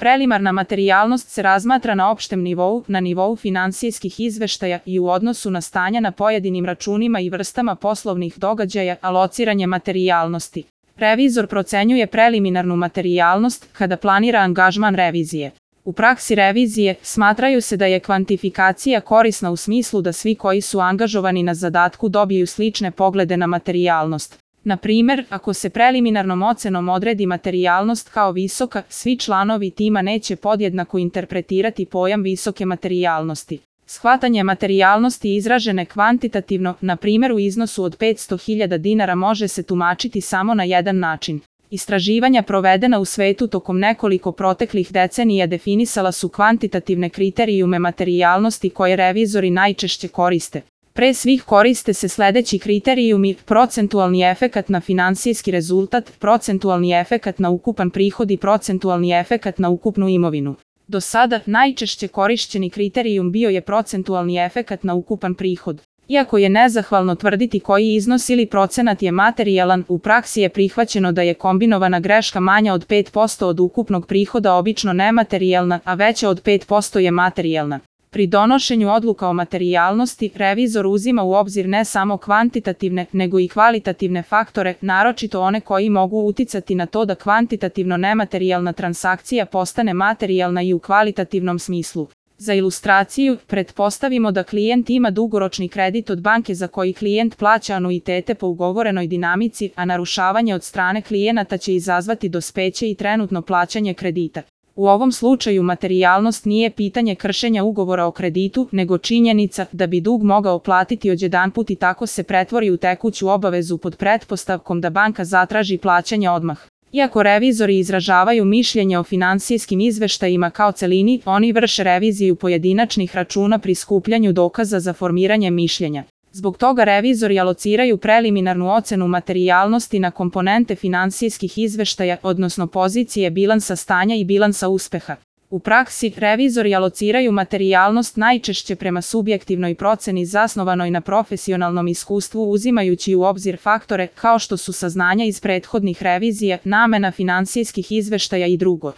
Preliminarna materijalnost se razmatra na opštem nivou, na nivou finansijskih izveštaja i u odnosu na stanja na pojedinim računima i vrstama poslovnih događaja, alociranje materijalnosti. Revizor procenjuje preliminarnu materijalnost kada planira angažman revizije. U praksi revizije smatraju se da je kvantifikacija korisna u smislu da svi koji su angažovani na zadatku dobiju slične poglede na materijalnost. Na primer, ako se preliminarnom ocenom odredi materijalnost kao visoka, svi članovi tima neće podjednako interpretirati pojam visoke materijalnosti. Shvatanje materijalnosti izražene kvantitativno, na primjer u iznosu od 500.000 dinara, može se tumačiti samo na jedan način. Istraživanja provedena u svetu tokom nekoliko proteklih decenija definisala su kvantitativne kriterijume materijalnosti koje revizori najčešće koriste. Pre svih koriste se sledeći kriterijumi: procentualni efekat na finansijski rezultat, procentualni efekat na ukupan prihod i procentualni efekat na ukupnu imovinu. Do sada, najčešće korišćeni kriterijum bio je procentualni efekat na ukupan prihod. Iako je nezahvalno tvrditi koji iznos ili procenat je materijalan, u praksi je prihvaćeno da je kombinovana greška manja od 5% od ukupnog prihoda obično nematerijalna, a veća od 5% je materijalna. Pri donošenju odluka o materijalnosti, revizor uzima u obzir ne samo kvantitativne, nego i kvalitativne faktore, naročito one koji mogu uticati na to da kvantitativno nematerijalna transakcija postane materijalna i u kvalitativnom smislu. Za ilustraciju, pretpostavimo da klijent ima dugoročni kredit od banke za koji klijent plaća anuitete po ugovorenoj dinamici, a narušavanje od strane klijenata će izazvati dospeće i trenutno plaćanje kredita. U ovom slučaju materijalnost nije pitanje kršenja ugovora o kreditu, nego činjenica da bi dug mogao platiti odjedanput i tako se pretvori u tekuću obavezu pod pretpostavkom da banka zatraži plaćanje odmah. Iako revizori izražavaju mišljenje o finansijskim izveštajima kao celini, oni vrše reviziju pojedinačnih računa pri skupljanju dokaza za formiranje mišljenja. Zbog toga revizori alociraju preliminarnu ocenu materijalnosti na komponente finansijskih izveštaja, odnosno pozicije bilansa stanja i bilansa uspeha. U praksi, revizori alociraju materijalnost najčešće prema subjektivnoj proceni zasnovanoj na profesionalnom iskustvu, uzimajući u obzir faktore kao što su saznanja iz prethodnih revizija, namena finansijskih izveštaja i drugo.